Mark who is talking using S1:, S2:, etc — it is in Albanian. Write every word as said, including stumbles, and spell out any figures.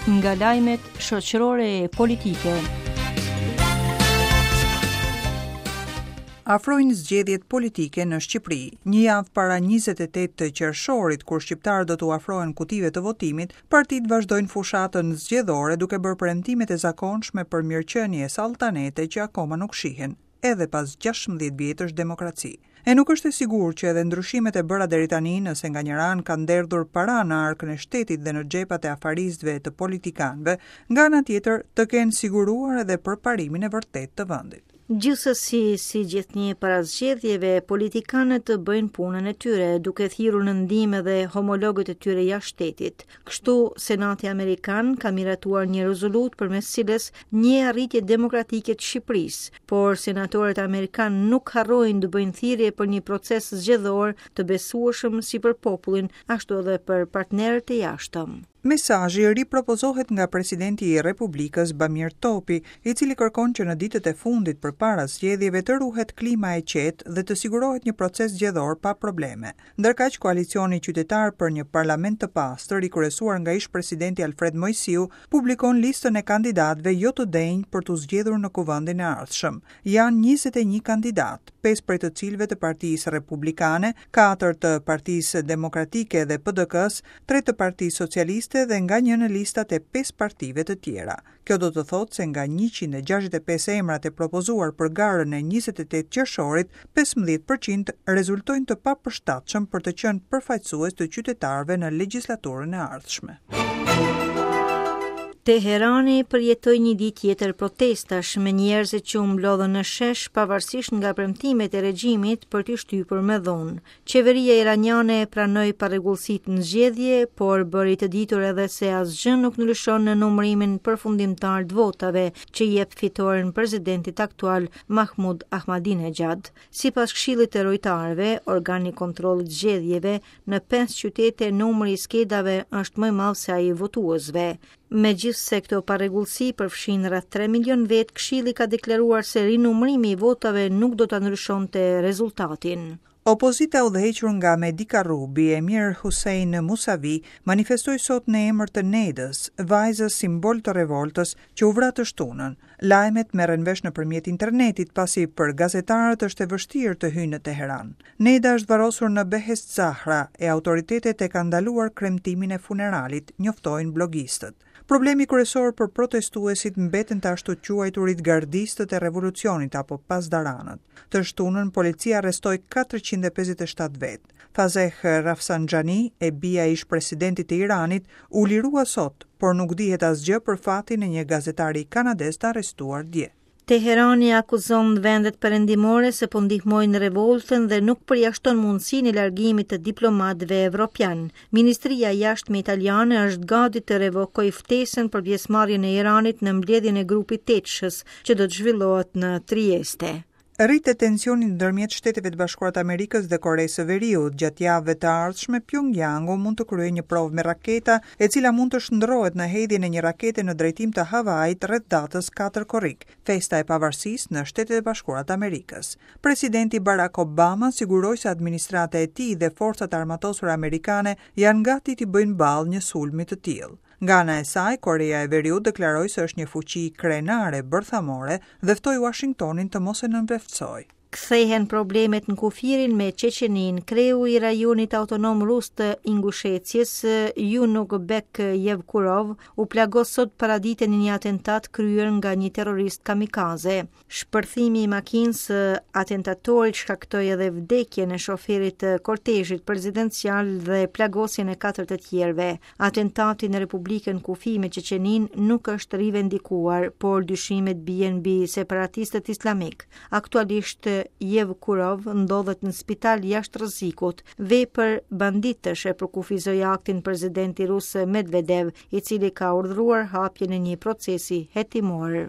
S1: Nga lajmet shoqërore e politike.
S2: Afrojnë zgjedhjet politike në Shqipëri. Një javë para njëzet e tetë të qershorit, kur shqiptarët do t'u afrohen kutive të votimit, partitë vazhdojnë fushatën zgjedhore duke bërë premtimet e zakonshme për mirëqenie e saltanete që akoma nuk shihen, edhe pas gjashtëmbëdhjetë vjetësh demokraci. E nuk është e sigurt që edhe ndryshimet e bëra deri tani, nëse nga njëra anë kanë derdhur para në arkën e shtetit dhe në xhepat e afaristëve e të politikanëve, nga ana tjetër të kenë siguruar edhe përparimin e vërtetë të vendit.
S3: Gjithsesi, si gjithnjë para zgjedhjeve, politikanët të bëjnë punën e tyre, duke thirrur në ndihmë edhe homologët e tyre jashtë shtetit. Kështu, Senati Amerikan ka miratuar një rezolutë përmes cilës një arritje demokratike të Shqipërisë, por senatorët amerikanë nuk harrojnë të bëjnë thirrje për një proces zgjedhor të besueshëm si për popullin, ashtu edhe për partnerët e jashtëm.
S2: Mesazhi ripropozohet nga presidenti i Republikës Bamir Topi, i cili kërkon që në ditët e fundit përpara zgjedhjeve të ruhet klima e qetë dhe të sigurohet një proces zgjedhor pa probleme. Ndërkaq, koalicioni qytetar për një parlament të pastër, i kryesuar nga ish-presidenti Alfred Moisiu, publikon listën e kandidatëve jo të denjë për t'u zgjedhur në kuvendin e ardhshëm. Janë njëzet e një kandidat, pesë prej të cilëve të Partisë Republikane, katër të Partisë Demokratike dhe P D K-s, tre të Partisë Socialiste dhe nga një në listat e pesë partive të tjera. Kjo do të thotë se nga njëqind e gjashtëdhjetë e pesë emrat e propozuar për garën e njëzet e tetë qershorit, pesëmbëdhjetë përqind rezultojnë të papërshtatshëm për të qenë përfaqësues të qytetarëve në legjislaturën e ardhshme.
S3: Teherani përjetoi një ditë tjetër protestash me njerëzit që u mblodhën në shesh pavarësisht nga premtimet e regjimit për t'i shtypur me dhunë. Qeveria iraniane pranoi parregullsitë në zgjedhje, por bëri të ditur edhe se asgjë nuk ndryshon në numërimin përfundimtar të votave që jep fitoren presidentit aktual Mahmoud Ahmadinejad. Sipas Këshillit të Rojtarëve, organi i kontrollit zgjedhjeve, në pesë qytete numri i skedave është më i madh se ai i votuesve. Megjithse këto parregullsi përfshin rreth tre milion vet, Këshilli ka deklaruar se rinumërimi i votave nuk do ta ndryshonte rezultatin.
S2: Opozita udhëhequr nga Mehdi Karrubi e Mir Hussein Musavi manifestoi sot në emër të Nedës, vajzës simbol të revoltës që u vra të shtunën. Lajmet merren vesh nëpërmjet internetit, pasi për gazetarët është e vështirë të hyjnë në Teheran. Neda është varrosur në Behesht Zahra e autoritetet e kanë ndaluar kremtimin e funeralit, njoftojnë blogistët. Problemi kryesor për protestuesit mbeten të ashtu quajturit gardistët e revolucionit apo pasdaranët. Të shtunën, policia arrestoi katërqind e pesëdhjetë e shtatë vet. Fazeh Rafsanjani, e bija e ish-presidentit të Iranit, u lirua sot, por nuk dihet asgjë për fatin e një gazetari kanadez të arrestuar dje.
S3: Teherani akuzon vendet perëndimore se po ndihmojnë revoltën dhe nuk përjashton mundësinë e largimit të diplomatëve evropian. Ministria e Jashtme italiane është gati të revokojë ftesën për pjesëmarrjen e Iranit në mbledhjen e grupit tetëshës që do të zhvillohet në Trieste.
S2: Rritet tensioni ndërmjet Shteteve të Bashkuara të Amerikës dhe Koresë së Veriut. Gjatë javëve të ardhshme, Pyongyangu mund të kryejë një provë me raketa, e cila mund të shndrohet në hedhjen e një rakete në drejtim të Havait rreth datës katër korrik, festa e pavarësisë në Shtetet e Bashkuara të Amerikës. Presidenti Barack Obama siguroi se administrata e tij dhe forcat armatosura amerikane janë gati t'i bëjnë ballë një sulmi të tillë. Nga ana e saj, Korea e Veriut deklaroi se është një fuqi krenare bërthamore dhe ftoi Washingtonin të mos e nënvleftësojë.
S3: Kthehen problemet në kufirin me Çeçenin. Kreu i rajonit autonom rus të Ingusheties, Junukbek Yevkurov, u plagos sot paradite në një atentat kryer nga një terrorist kamikaze. Shpërthimi i makinës së atentatorit shkaktoi edhe vdekjen e shoferit të kortezhit presidencial dhe plagosjen e katër të tjerëve. Atentati në Republikën Kufi me Çeçenin nuk është rivendikuar, por dyshimet bien mbi separatistët islamik. Aktualisht Yevkurov ndodhet në spital jashtë rrezikut. Vepër banditësh e përkufizoi aktin presidenti rus Medvedev, i cili ka urdhëruar hapjen e një procesi hetimor.